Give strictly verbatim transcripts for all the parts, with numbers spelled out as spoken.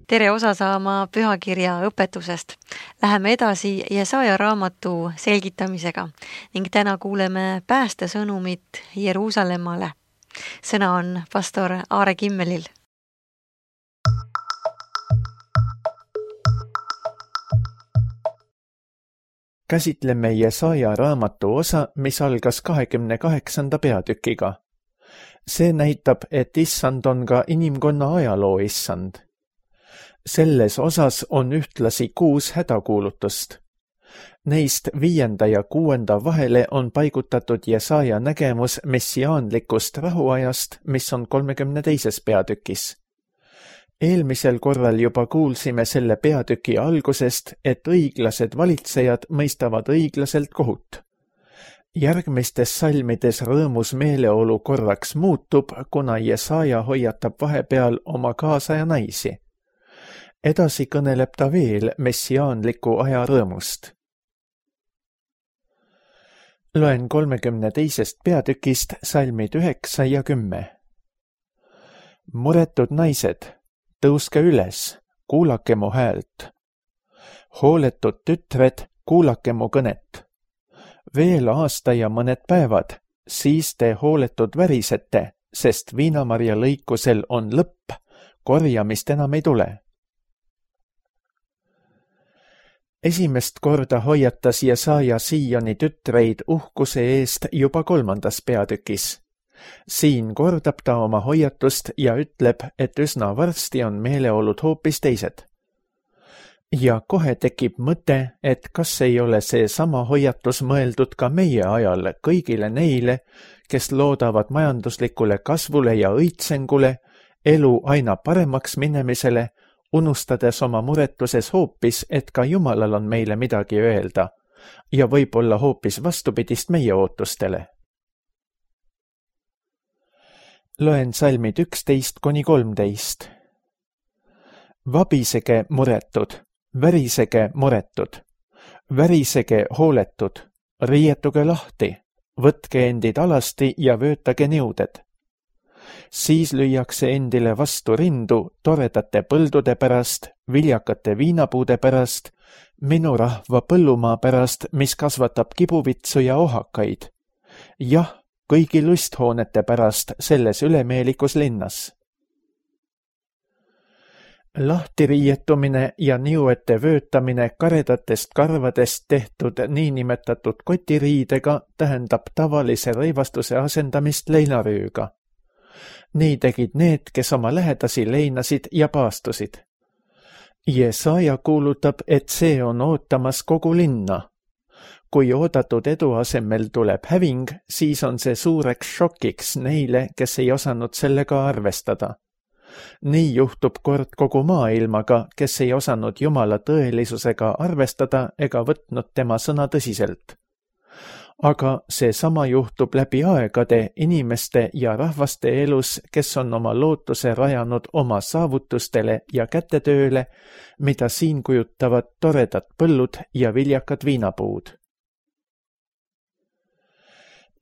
tere osa saama pühakirja õpetusest. Läheme edasi Jesaja raamatu selgitamisega ning täna kuuleme päästesõnumit Jeruusalemmale. Sõna on pastor Aare Kimmelil. Käsitleme Jesaja raamatu osa, mis algas kahekümne kaheksanda peatükiga. See näitab, et issand on ka inimkonna ajaloo issand. Selles osas on ühtlasi kuus hädakuulutust. Neist viienda ja kuuenda vahele on paigutatud Jesaja nägemus messiaanlikust rahuajast, mis on kolmekümne teises peatükis. Eelmisel korral juba kuulsime selle peatüki algusest, et õiglased valitsejad mõistavad õiglaselt kohut. Järgmistes salmides rõõmus meeleolu korraks muutub, kuna Jesaja hoiatab vahepeal oma kaasaja naisi. Edasi kõneleb ta veel messiaanliku aja rõõmust. Loen kolmekümne teisest peatükist salmid üheksa ja kümme. Muretud naised, tõuske üles, kuulake mu häält. Hooletud tütred, kuulake mu kõnet. Veel aasta ja mõned päevad, siis te hooletud värisete, sest viinamarja lõikusel on lõpp, korjamist enam ei tule. Esimest korda hoiatas Jesaja Sioni tütreid uhkuse eest juba kolmandas peatükis. Siin kordab ta oma hoiatust ja ütleb, et üsna varsti on meeleolud hoopis teised. Ja kohe tekib mõte, et kas ei ole see sama hoiatus mõeldud ka meie ajal kõigile neile, kes loodavad majanduslikule kasvule ja õitsengule, elu aina paremaks minemisele, unustades oma muretuses hoopis, et ka Jumalal on meile midagi öelda ja võib-olla hoopis vastupidist meie ootustele. Loen salmid üksteist kuni kolmteist. Vabisege muretud, värisege muretud, värisege hooletud, riietuge lahti, võtke endid alasti ja vöötage niuded. Siis lüüakse endile vastu rindu toredate põldude pärast, viljakate viinapuude pärast, minu rahva põllumaa pärast, mis kasvatab kibuvitsu ja ohakaid. Jah, kõigi lusthoonete pärast selles ülemeelikus linnas. Lahtiriietumine ja niuete vöötamine karedatest karvadest tehtud niinimetatud kotiriidega tähendab tavalise rõivastuse asendamist leinarüüga. Nii tegid need, kes oma lähedasi leinasid ja paastusid. Jesaja kuulutab, et see on ootamas kogu linna. Kui oodatud edu asemel tuleb häving, siis on see suureks šokiks neile, kes ei osanud sellega arvestada. Nii juhtub kord kogu maailmaga, kes ei osanud Jumala tõelisusega arvestada ega võtnud tema sõna tõsiselt. Aga see sama juhtub läbi aegade inimeste ja rahvaste elus, kes on oma lootuse rajanud oma saavutustele ja kätetööle, mida siin kujutavad toredad põllud ja viljakad viinapuud.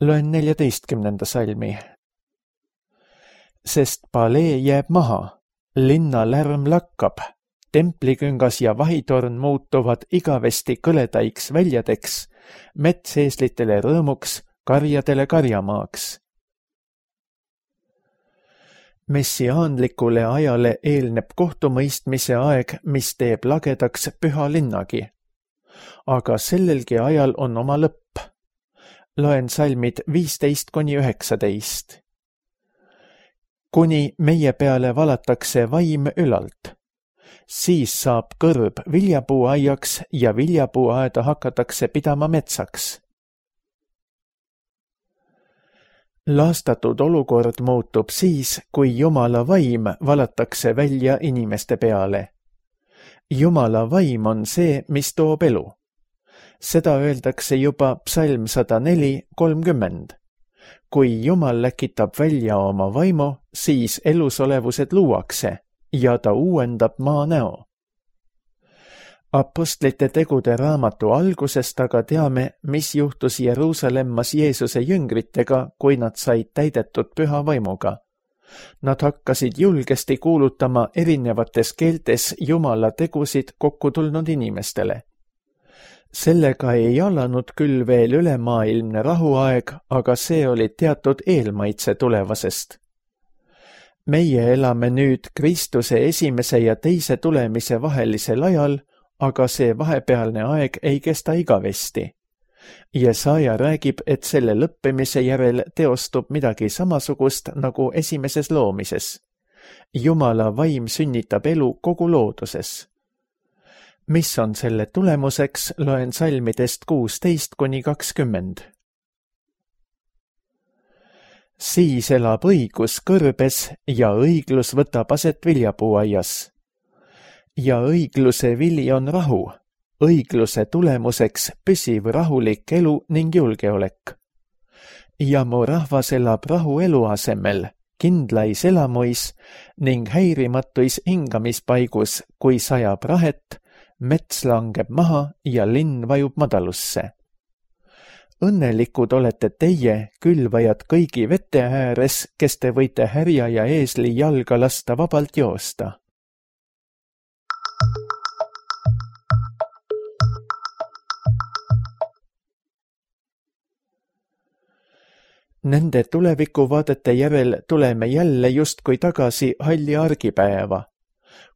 Loen neljateistkümnenda salmi. Sest palee jääb maha, linna lärm lakkab, templiküngas ja vahitorn muutuvad igavesti kõledaiks väljadeks, metseeslitele rõõmuks, karjadele karjamaaks. Messiaanlikule ajale eelneb kohtumõistmise aeg, mis teeb lagedaks püha linnagi. Aga sellelgi ajal on oma lõpp. Loen salmid viisteist kuni üheksateist. Kuni meie peale valatakse vaim ülalt. Siis saab kõrb viljapuuaiaks ja viljapuuaeda hakatakse pidama metsaks. Laastatud olukord muutub siis, kui Jumala vaim valatakse välja inimeste peale. Jumala vaim on see, mis toob elu. Seda öeldakse juba psalm sada neli kolmkümmend. Kui Jumal läkitab välja oma vaimu, siis elusolevused luuakse ja ta uuendab maa näo. Apostlite tegude raamatu algusest aga teame, mis juhtus Jeruusalemmas Jeesuse jüngritega, kui nad said täidetud püha vaimuga. Nad hakkasid julgesti kuulutama erinevates keeltes Jumala tegusid kokku tulnud inimestele. Sellega ei alanud küll veel ülemaailmne rahuaeg, aga see oli teatud eelmaitse tulevasest. Meie elame nüüd Kristuse esimese ja teise tulemise vahelisel ajal, aga see vahepealne aeg ei kesta igavesti. Jesaja räägib, et selle lõppemise järel teostub midagi samasugust nagu esimeses loomises. Jumala vaim sünnitab elu kogu looduses. Mis on selle tulemuseks, loen salmidest kuusteist kuni kakskümmend. Siis elab õigus kõrbes ja õiglus võtab aset viljapuuaias. Ja õigluse vili on rahu, õigluse tulemuseks püsiv rahulik elu ning julgeolek. Ja mu rahvas elab rahu elu asemel, kindlais elamuis ning häirimatuis hingamispaigus, kui sajab rahet, mets langeb maha ja linn vajub madalusse. Õnnelikud olete teie, külvajad kõigi vete ääres, kes te võite härja ja eesli jalga lasta vabalt joosta. Nende tulevikuvaadete järel tuleme jälle justkui tagasi halli argipäeva.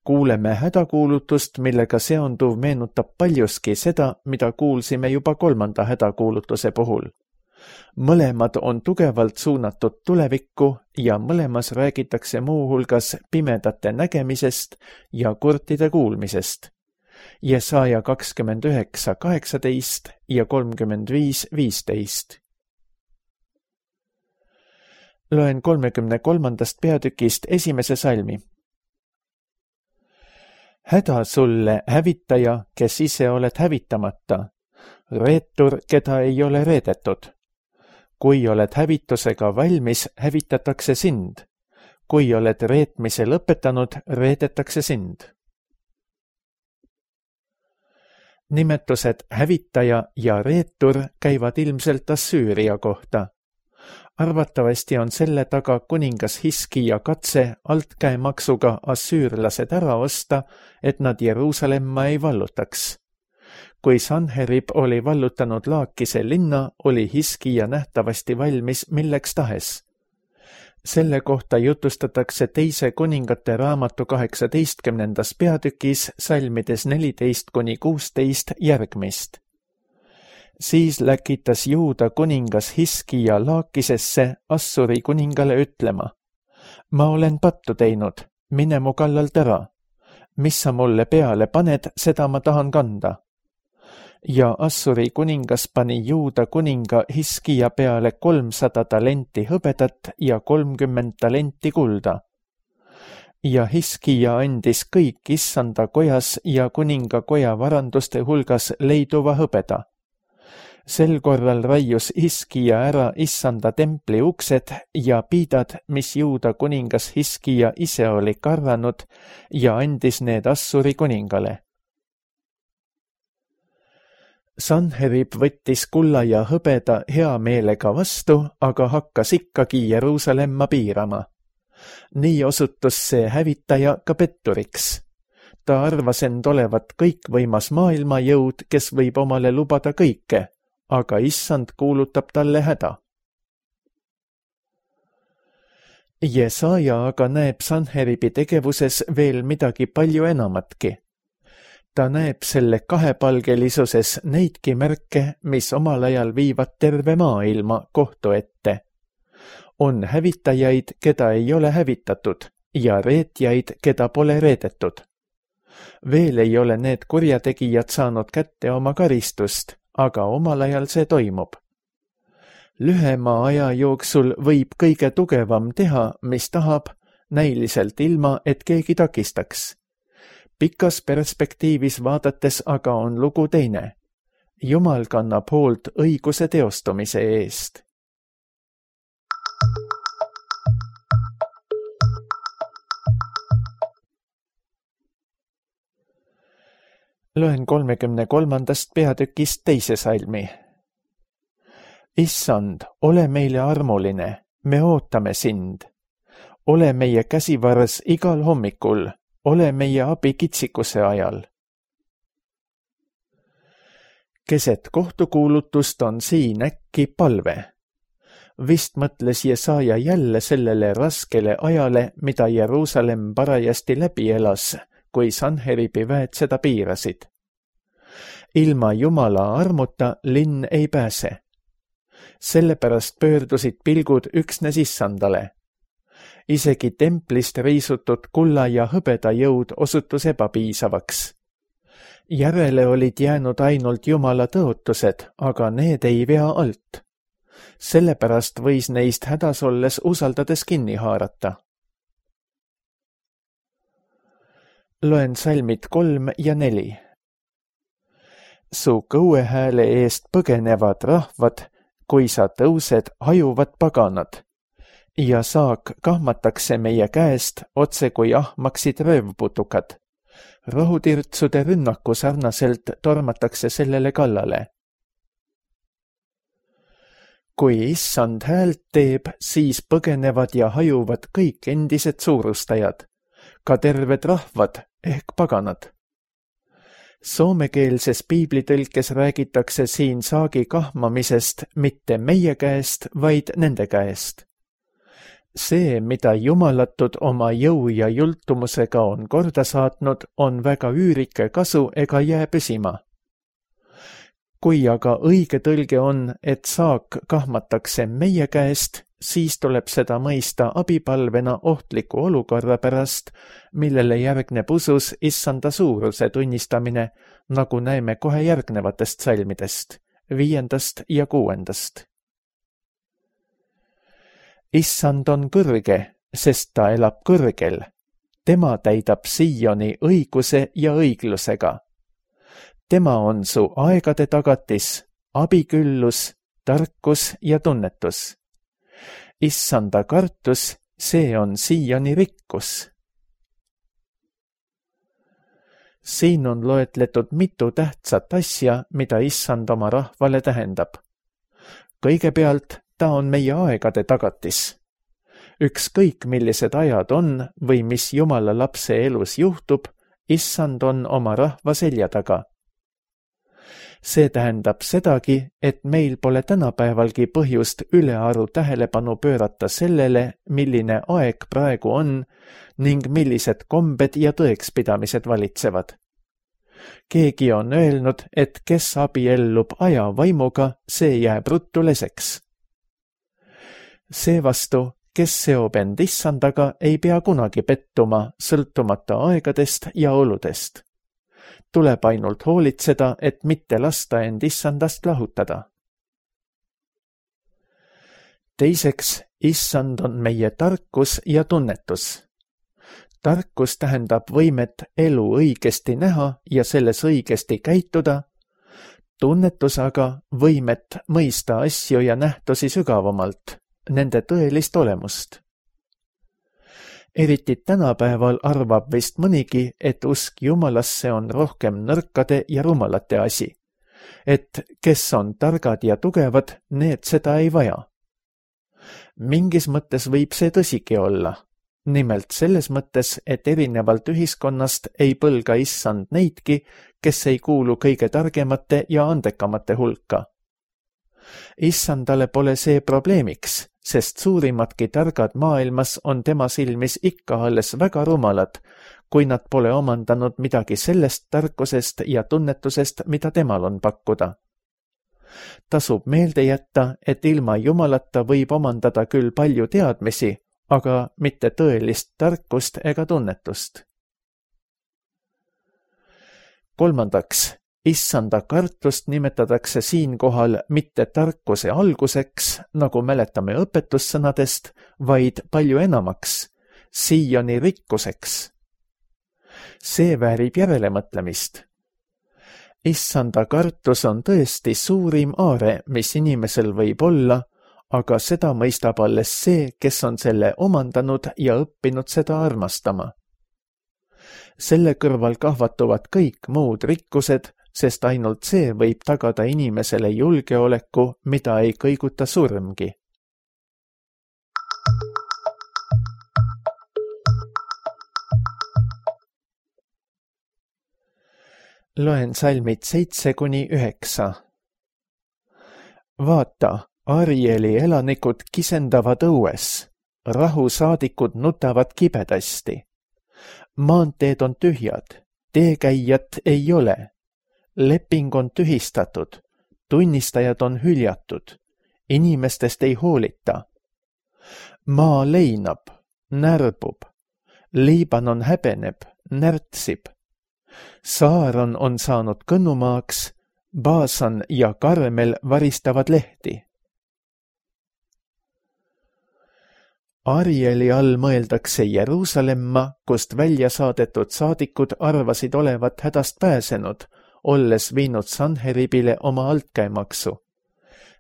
Kuuleme hädakuulutust, millega seonduv meenutab paljuski seda, mida kuulsime juba kolmanda hädakuulutuse puhul. Mõlemad on tugevalt suunatud tulevikku ja mõlemas räägitakse muuhulgas pimedate nägemisest ja kurtide kuulmisest. Jesaja kakskümmend üheksa kaheksateist ja kolmkümmend viis viisteist. Loen kolmekümne kolmandast peatükist esimese salmi. Häda sulle, hävitaja, kes ise oled hävitamata, reetur, keda ei ole reedetud. Kui oled hävitusega valmis, hävitatakse sind. Kui oled reetmise lõpetanud, reedetakse sind. Nimetused hävitaja ja reetur käivad ilmselt Assüüria kohta. Arvatavasti on selle taga kuningas Hiskija katse altkäemaksuga assüürlased ära osta, et nad Jeruusalemma ei vallutaks. Kui Sanherib oli vallutanud Laakise linna, oli Hiskija nähtavasti valmis milleks tahes. Selle kohta jutustatakse teise kuningate raamatu kaheksateistkümnendas peatükis salmides neliteist kuni kuusteist järgmist. Siis läkitas Juuda kuningas Hiskija Laakisesse Assuri kuningale ütlema. Ma olen pattu teinud, mine mu kallalt ära. Mis sa mulle peale paned, seda ma tahan kanda. Ja Assuri kuningas pani Juuda kuninga Hiskija peale kolmsada talenti hõbedat ja kolmkümmend talenti kulda. Ja Hiskija andis kõik issanda kojas ja kuninga koja varanduste hulgas leiduva hõbeda. Sel korral raius Hiskija ära issanda templi uksed ja piidad, mis Juuda kuningas Hiskija ise oli karranud ja andis need Assuri kuningale. Sanherib võttis kulla ja hõbeda hea meelega vastu, aga hakkas ikkagi Jeruusalemma piirama. Nii osutus see hävitaja ka petturiks. Ta arvas end olevat kõikvõimas maailmajõud, kes võib omale lubada kõike, aga issand kuulutab talle häda. Jesaja aga näeb Sanheribi tegevuses veel midagi palju enamatki. Ta näeb selle kahepalgelisuses neidki märke, mis omal ajal viivad terve maailma kohtu ette. On hävitajaid, keda ei ole hävitatud, ja reetjaid, keda pole reedetud. Veel ei ole need kurjategijad saanud kätte oma karistust, aga omal ajal see toimub. Lühema aja jooksul võib kõige tugevam teha, mis tahab, näiliselt ilma, et keegi takistaks. Pikas perspektiivis vaadates aga on lugu teine. Jumal kannab hoolt õiguse teostumise eest. Loen kolmekümne kolmandast peatükist teise salmi. Issand, ole meile armuline, me ootame sind. ole meie käsivarres igal hommikul, ole meie abi kitsikuse ajal. Keset kohtukuulutust on siin äkki palve. Vist mõtles Jesaja jälle sellele raskele ajale, mida Jeruusalemm parajasti läbi elas, kui Sanheribi väed seda piirasid. Ilma Jumala armuta linn ei pääse. Sellepärast pöördusid pilgud üksnes Issandale. Isegi templist riisutud kulla ja hõbeda jõud osutus ebapiisavaks. Järele olid jäänud ainult Jumala tõotused, aga need ei vea alt. Sellepärast võis neist hädas olles usaldades kinni haarata. Loen salmid kolm ja neli. Su kõuehääle eest põgenevad rahvad, kui sa tõused, hajuvad paganad, ja saak kahmatakse meie käest, otse kui ahmaksid röövputukad. Rohutirtsude rünnaku sarnaselt tormatakse sellele kallale. Kui Issand häält teeb, siis põgenevad ja hajuvad kõik endised suurustajad, ka terved rahvad ehk paganad. Soomekeelses piiblitõlkes räägitakse siin saagi kahmamisest mitte meie käest, vaid nende käest. See, mida jumalatud oma jõu ja jultumusega on korda saatnud, on väga üürike kasu ega jää püsima. Kui aga õige tõlge on, et saak kahmatakse meie käest, siis tuleb seda mõista abipalvena ohtliku olukorra pärast, millele järgneb usus Issanda suuruse tunnistamine, nagu näeme kohe järgnevatest salmidest, viiendast ja kuuendast. Issand on kõrge, sest ta elab kõrgel. Tema täidab Sioni õiguse ja õiglusega. Tema on su aegade tagatis, abiküllus, tarkus ja tunnetus. Issanda kartus, see on Sioni rikkus. Siin on loetletud mitu tähtsat asja, mida Issand oma rahvale tähendab. Kõigepealt ta on meie aegade tagatis. Ükskõik millised ajad on või mis Jumala lapse elus juhtub, Issand on oma rahva selja taga. See tähendab sedagi, et meil pole tänapäevalgi põhjust ülearu tähelepanu pöörata sellele, milline aeg praegu on ning millised kombed ja tõekspidamised valitsevad. Keegi on öelnud, et kes abiellub aja vaimuga, see jääb ruttu leseks. Seevastu, kes seob end Issandaga, ei pea kunagi pettuma, sõltumata aegadest ja oludest. Tuleb ainult hoolitseda, et mitte lasta end Issandast lahutada. Teiseks, Issand on meie tarkus ja tunnetus. Tarkus tähendab võimet elu õigesti näha ja selles õigesti käituda, tunnetus aga võimet mõista asju ja nähtusi sügavamalt, nende tõelist olemust. Eriti tänapäeval arvab vist mõnigi, et usk Jumalasse on rohkem nõrkade ja rumalate asi, et kes on targad ja tugevad, need seda ei vaja. Mingis mõttes võib see tõsigi olla, nimelt selles mõttes, et erinevalt ühiskonnast ei põlga Issand neidki, kes ei kuulu kõige targemate ja andekamate hulka. Issandale pole see probleemiks, sest suurimadki targad maailmas on tema silmis ikka alles väga rumalad, kui nad pole omandanud midagi sellest tarkusest ja tunnetusest, mida temal on pakkuda. Tasub meelde jätta, et ilma Jumalata võib omandada küll palju teadmisi, aga mitte tõelist tarkust ega tunnetust. Kolmandaks, Issanda kartust nimetatakse siinkohal mitte tarkuse alguseks, nagu mäletame õpetussõnadest, vaid palju enamaks, Sioni rikkuseks. See väärib järelemõtlemist. Issanda kartus on tõesti suurim aare, mis inimesel võib olla, aga seda mõistab alles see, kes on selle omandanud ja õppinud seda armastama. Selle kõrval kahvatuvad kõik muud rikkused, sest ainult see võib tagada inimesele julgeoleku, mida ei kõiguta surmgi. Loen salmid seitse kuni üheksa. Vaata, Arieli elanikud kisendavad õues, rahusaadikud nutavad kibedasti. Maanteed on tühjad, teekäijat ei ole, leping on tühistatud, tunnistajad on hüljatud, inimestest ei hoolita. Maa leinab, närbub, Liibanon häbeneb, närtsib. Saaron on saanud kõnnumaaks, Baasan ja Karmel varistavad lehti. Arieli all mõeldakse Jeruusalemma, kust välja saadetud saadikud arvasid olevat hädast pääsenud, olles viinud Sanheribile oma altkäemaksu.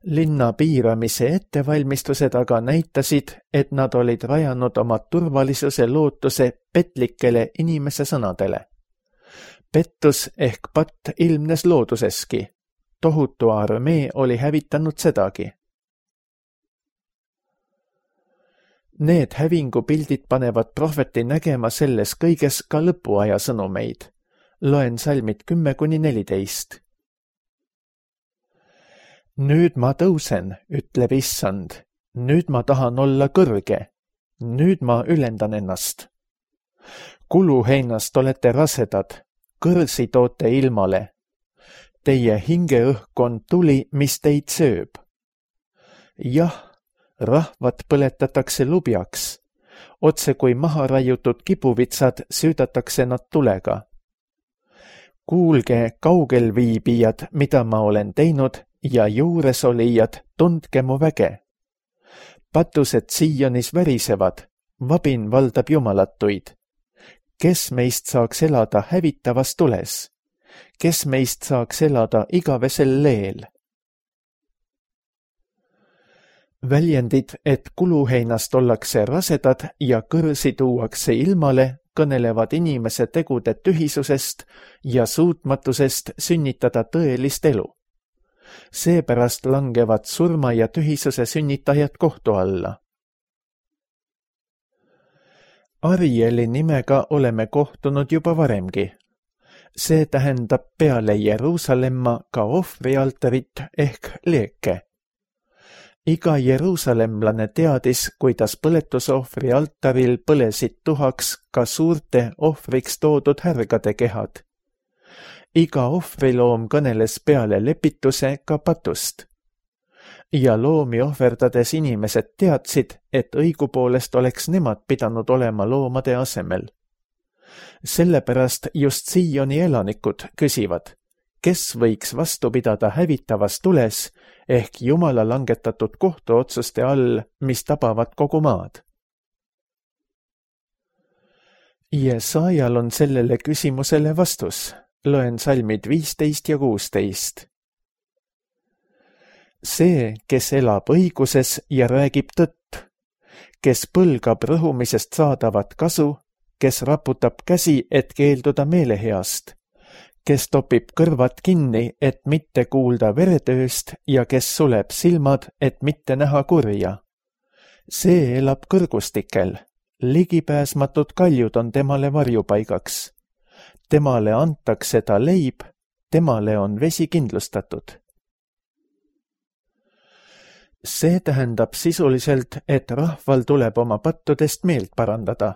Linna piiramise ettevalmistused aga näitasid, et nad olid rajanud oma turvalisuse lootuse petlikele inimese sõnadele. Pettus ehk patt ilmnes looduseski. Tohutu armee oli hävitanud sedagi. Need hävingupildid panevad prohveti nägema selles kõiges ka lõpuaja sõnumeid. Loen salmid kümme kuni neliteist. Nüüd ma tõusen, ütleb issand. Nüüd ma tahan olla kõrge. Nüüd ma ülendan ennast. Kuluheinast olete rasedad. Kõrsi toote ilmale. Teie hingeõhk on tuli, mis teid sööb. Jah, rahvad põletatakse lubjaks. Otse kui maha raiutud kibuvitsad süüdatakse nad tulega. Kuulge, kaugel viibijad, mida ma olen teinud, ja juuresolijad, tundke mu väge. Patused Sionis värisevad, vabin valdab jumalatuid. Kes meist saaks elada hävitavas tules? Kes meist saaks elada igavesel leel? Väljendid, et kuluheinast ollakse rasedad ja kõrsi tuuakse ilmale, kõnelevad inimese tegude tühisusest ja suutmatusest sünnitada tõelist elu. Seepärast langevad surma ja tühisuse sünnitajad kohtu alla. Arieli nimega oleme kohtunud juba varemgi. See tähendab peale Jeruusalemma ka ohvrialtarit ehk leeke. Iga jeruusalemlane teadis, kuidas põletusohvri altaril põlesid tuhaks ka suurte ohvriks toodud härgade kehad. Iga ohvriloom kõneles peale lepituse ka patust. Ja loomi ohverdades inimesed teadsid, et õigupoolest oleks nemad pidanud olema loomade asemel. Sellepärast just Sioni elanikud küsivad, kes võiks vastu pidada hävitavas tules ehk Jumala langetatud kohtuotsuste all, mis tabavad kogu maad. Jesaajal on sellele küsimusele vastus. Loen salmid viisteist ja kuusteist. See, kes elab õiguses ja räägib tõtt, kes põlgab rõhumisest saadavat kasu, kes raputab käsi, et keelduda meeleheast, kes topib kõrvad kinni, et mitte kuulda veretööst ja kes suleb silmad, et mitte näha kurja. See elab kõrgustikel, ligipääsmatud kaljud on temale varjupaigaks. Temale antakse ta leib, temale on vesi kindlustatud. See tähendab sisuliselt, et rahval tuleb oma pattudest meelt parandada.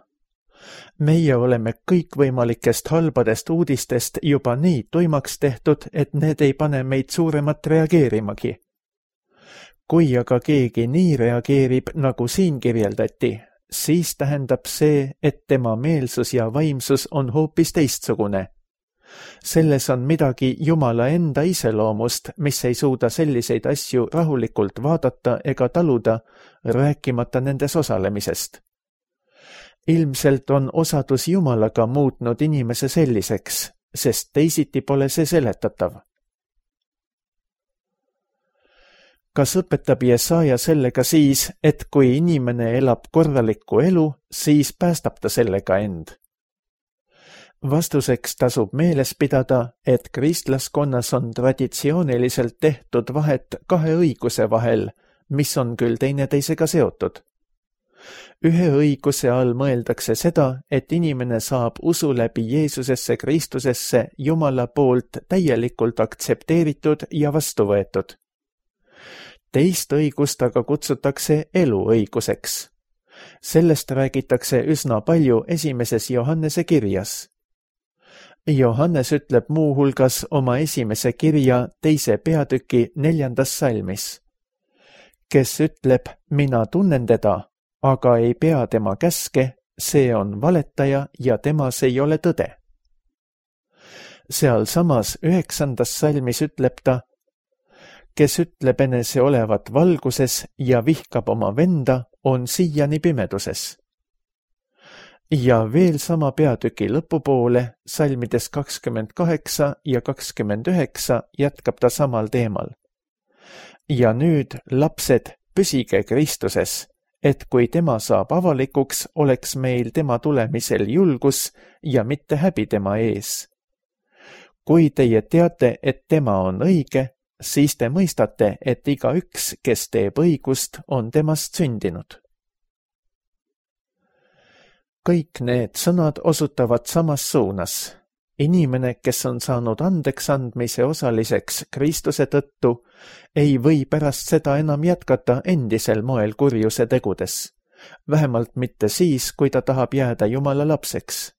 Meie oleme kõikvõimalikest halbadest uudistest juba nii tuimaks tehtud, et need ei pane meid suuremat reageerimagi. Kui aga keegi nii reageerib, nagu siin kirjeldati, siis tähendab see, et tema meelsus ja vaimsus on hoopis teistsugune. Selles on midagi Jumala enda iseloomust, mis ei suuda selliseid asju rahulikult vaadata ega taluda, rääkimata nendes osalemisest. Ilmselt on osadus Jumalaga muutnud inimese selliseks, sest teisiti pole see seletatav. Kas õpetab Jesaja sellega siis, et kui inimene elab korralikku elu, siis päästab ta sellega end? Vastuseks tasub meeles pidada, et kristlaskonnas on traditsiooniliselt tehtud vahet kahe õiguse vahel, mis on küll teineteisega seotud. ühe õiguse all mõeldakse seda, et inimene saab usu läbi Jeesusesse Kristusesse Jumala poolt täielikult aktsepteeritud ja vastu võetud. Teist õigust aga kutsutakse eluõiguseks. Sellest räägitakse üsna palju esimeses Johannese kirjas. Johannes ütleb muuhulgas oma esimese kirja teise peatüki neljandas salmis. Kes ütleb, mina tunnen teda, aga ei pea tema käske, see on valetaja ja temas ei ole tõde. Seal samas üheksandas salmis ütleb ta, kes ütleb enese olevat valguses ja vihkab oma venda, on siiani pimeduses. Ja veel sama peatüki lõpupoole, salmides kakskümmend kaheksa ja kakskümmend üheksa jätkab ta samal teemal. Ja nüüd, lapsed, püsige Kristuses, et kui tema saab avalikuks, oleks meil tema tulemisel julgus ja mitte häbi tema ees. Kui teie teate, et tema on õige, siis te mõistate, et igaüks, kes teeb õigust, on temast sündinud. Kõik need sõnad osutavad samas suunas. Inimene, kes on saanud andeks andmise osaliseks Kristuse tõttu, ei või pärast seda enam jätkata endisel moel kurjuse tegudes, vähemalt mitte siis, kui ta tahab jääda Jumala lapseks.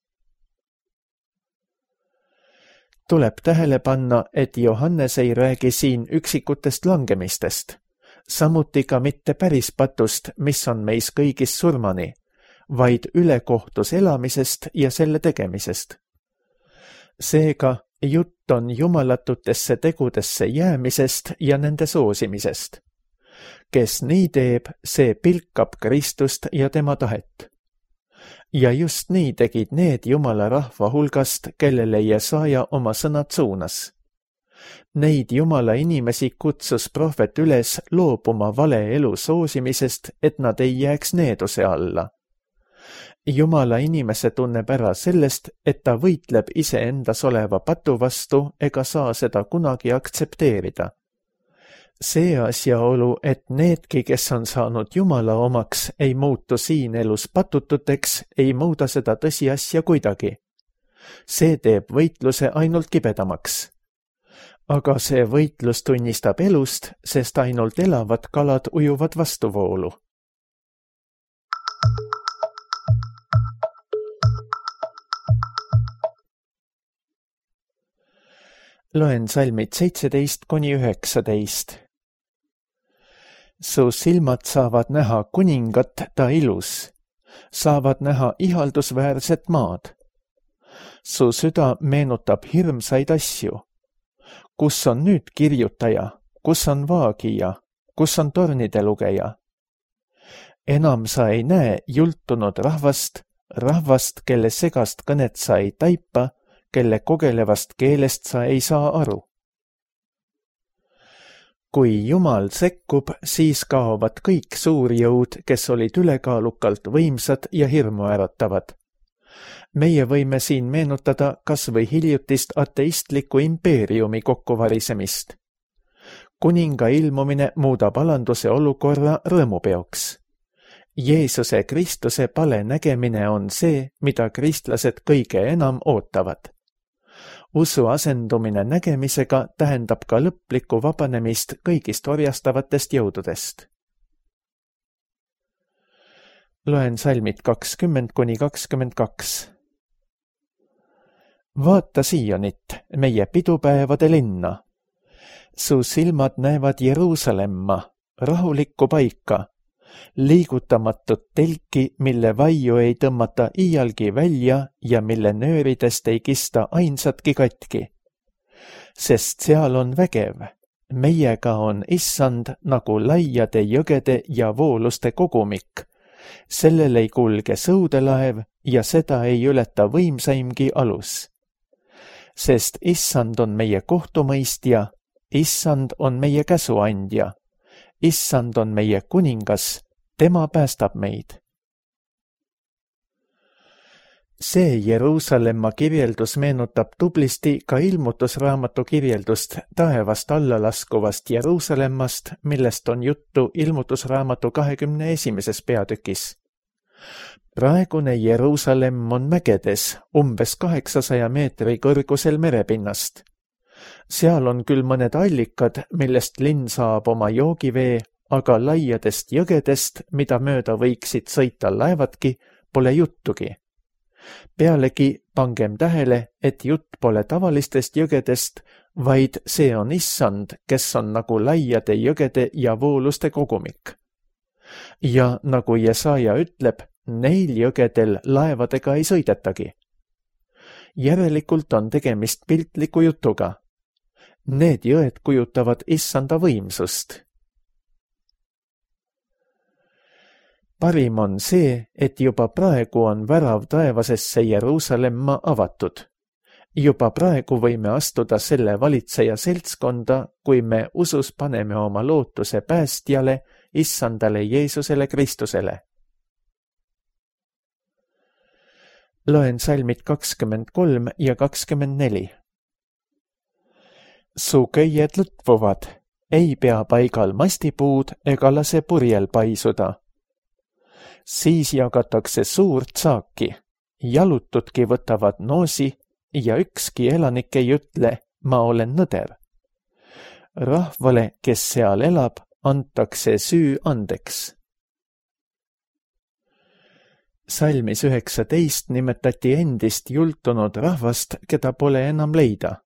Tuleb tähele panna, et Johannes ei räägi siin üksikutest langemistest, samuti ka mitte päris patust, mis on meis kõigis surmani, vaid ülekohtus elamisest ja selle tegemisest. Seega, jutt on jumalatutesse tegudesse jäämisest ja nende soosimisest. Kes nii teeb, see pilkab Kristust ja tema tahet. Ja just nii tegid need Jumala rahva hulgast, kellele Jesaja oma sõnad suunas. Neid Jumala inimesi kutsus prohvet üles loobuma vale elu soosimisest, et nad ei jääks needuse alla. Jumala inimese tunneb ära sellest, et ta võitleb iseendas oleva patu vastu ega saa seda kunagi aktsepteerida. See asjaolu, et needki, kes on saanud Jumala omaks, ei muutu siin elus patututeks, ei muuda seda tõsiasja kuidagi. See teeb võitluse ainult kibedamaks. Aga see võitlus tunnistab elust, sest ainult elavad kalad ujuvad vastuvoolu. Loen salmid seitseteist kuni üheksateist. Su silmad saavad näha kuningat, ta ilus, saavad näha ihaldusväärset maad. Su süda meenutab hirmsaid asju. Kus on nüüd kirjutaja, kus on vaagija, kus on tornide lugeja? Enam sa ei näe jultunud rahvast, rahvast, kelle segast kõnet sa ei taipa, kelle kogelevast keelest sa ei saa aru. Kui Jumal sekkub, siis kaovad kõik suurjõud, kes olid ülekaalukalt võimsad ja hirmuäratavad. Meie võime siin meenutada kas või hiljutist ateistliku impeeriumi kokkuvarisemist. Kuninga ilmumine muudab alanduse olukorra rõõmupeoks. Jeesuse Kristuse pale nägemine on see, mida kristlased kõige enam ootavad. Usu asendumine nägemisega tähendab ka lõplikku vabanemist kõigist orjastavatest jõududest. Loen salmid kakskümmend kuni kakskümmend kaks. Vaata Siionit, meie pidupäevade linna. Su silmad näevad Jeruusalemma, rahulikku paika, liigutamatut telki, mille vaiu ei tõmmata iialgi välja ja mille nööridest ei kista ainsatki katki. Sest seal on vägev, meiega on issand nagu laiade jõgede ja vooluste kogumik. Sellel ei kulge sõudelaev ja seda ei ületa võimsaimgi alus. Sest issand on meie kohtumõistja, issand on meie käsuandja. Issand on meie kuningas, tema päästab meid. See Jeruusalemma kirjeldus meenutab tublisti ka ilmutusraamatu kirjeldust taevast alla laskuvast Jeruusalemmast, millest on juttu ilmutusraamatu kahekümne esimeses peatükis. praegune Jeruusalemm on mägedes, umbes kaheksasaja meetri kõrgusel merepinnast. Seal on küll mõned allikad, millest linn saab oma joogivee, aga laiadest jõgedest, mida mööda võiksid sõita laevadki, pole juttugi. Pealegi pangem tähele, et jutt pole tavalistest jõgedest, vaid see on issand, kes on nagu laiade jõgede ja vooluste kogumik. Ja nagu Jesaja ütleb, neil jõgedel laevadega ei sõidetagi. Järelikult on tegemist piltliku jutuga. Need jõed kujutavad issanda võimsust. Parim on see, et juba praegu on värav taevasesse Jeruusalemma avatud. Juba praegu võime astuda selle valitseja seltskonda, kui me usus paneme oma lootuse päästjale, issandale Jeesusele Kristusele. Loen salmid kakskümmend kolm ja kakskümmend neli. Su köied lõtvuvad, ei pea paigal mastipuud ega lase purjel paisuda. Siis jagatakse suurt saaki, jalutudki võtavad noosi ja ükski elanik ei ütle, ma olen nõder. Rahvale, kes seal elab, antakse süü andeks. Salmis üheksateist nimetati endist jultunud rahvast, keda pole enam leida.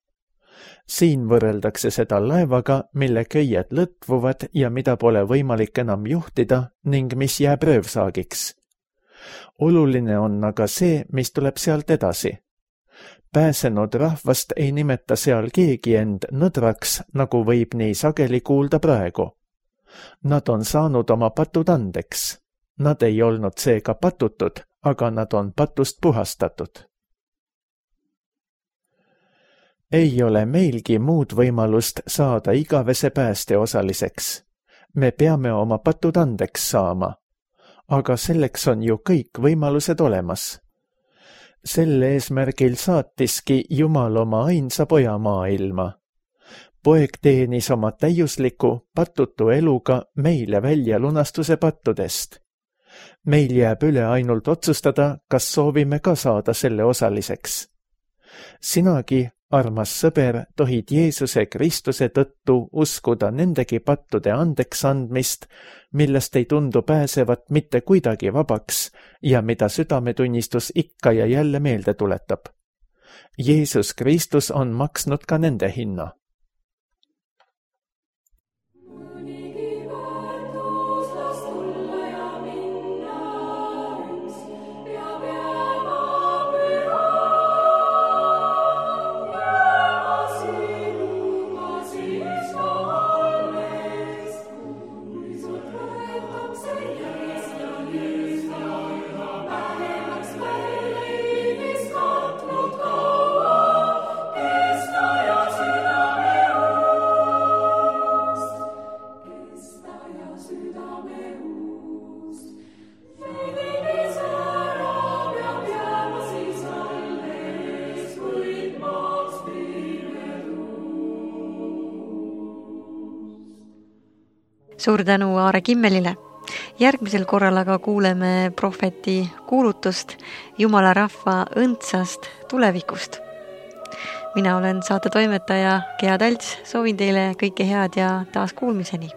Siin võrreldakse seda laevaga, mille köied lõtvuvad ja mida pole võimalik enam juhtida ning mis jääb röövsaagiks. Oluline on aga see, mis tuleb sealt edasi. Pääsenud rahvast ei nimeta seal keegi end nõdraks, nagu võib nii sageli kuulda praegu. Nad on saanud oma patud andeks. Nad ei olnud seega patutud, aga nad on patust puhastatud. Ei ole meilgi muud võimalust saada igavese pääste osaliseks. Me peame oma patud andeks saama, aga selleks on ju kõik võimalused olemas. Sel eesmärgil saatiski Jumal oma ainsa poja maailma. Poeg teenis oma täiusliku, patutu eluga meile välja lunastuse pattudest. Meil jääb üle ainult otsustada, kas soovime ka saada selle osaliseks. Sinagi, armas sõber, tohid Jeesuse Kristuse tõttu uskuda nendegi pattude andeks andmist, millest ei tundu pääsevat mitte kuidagi vabaks ja mida südametunnistus ikka ja jälle meelde tuletab. Jeesus Kristus on maksnud ka nende hinna. Suur tänu Aare Kimmelile. Järgmisel korral aga kuuleme prohveti kuulutust Jumala rahva õndsast tulevikust. Mina olen saate toimetaja Gea Talts, soovin teile kõike head ja taas kuulmiseni.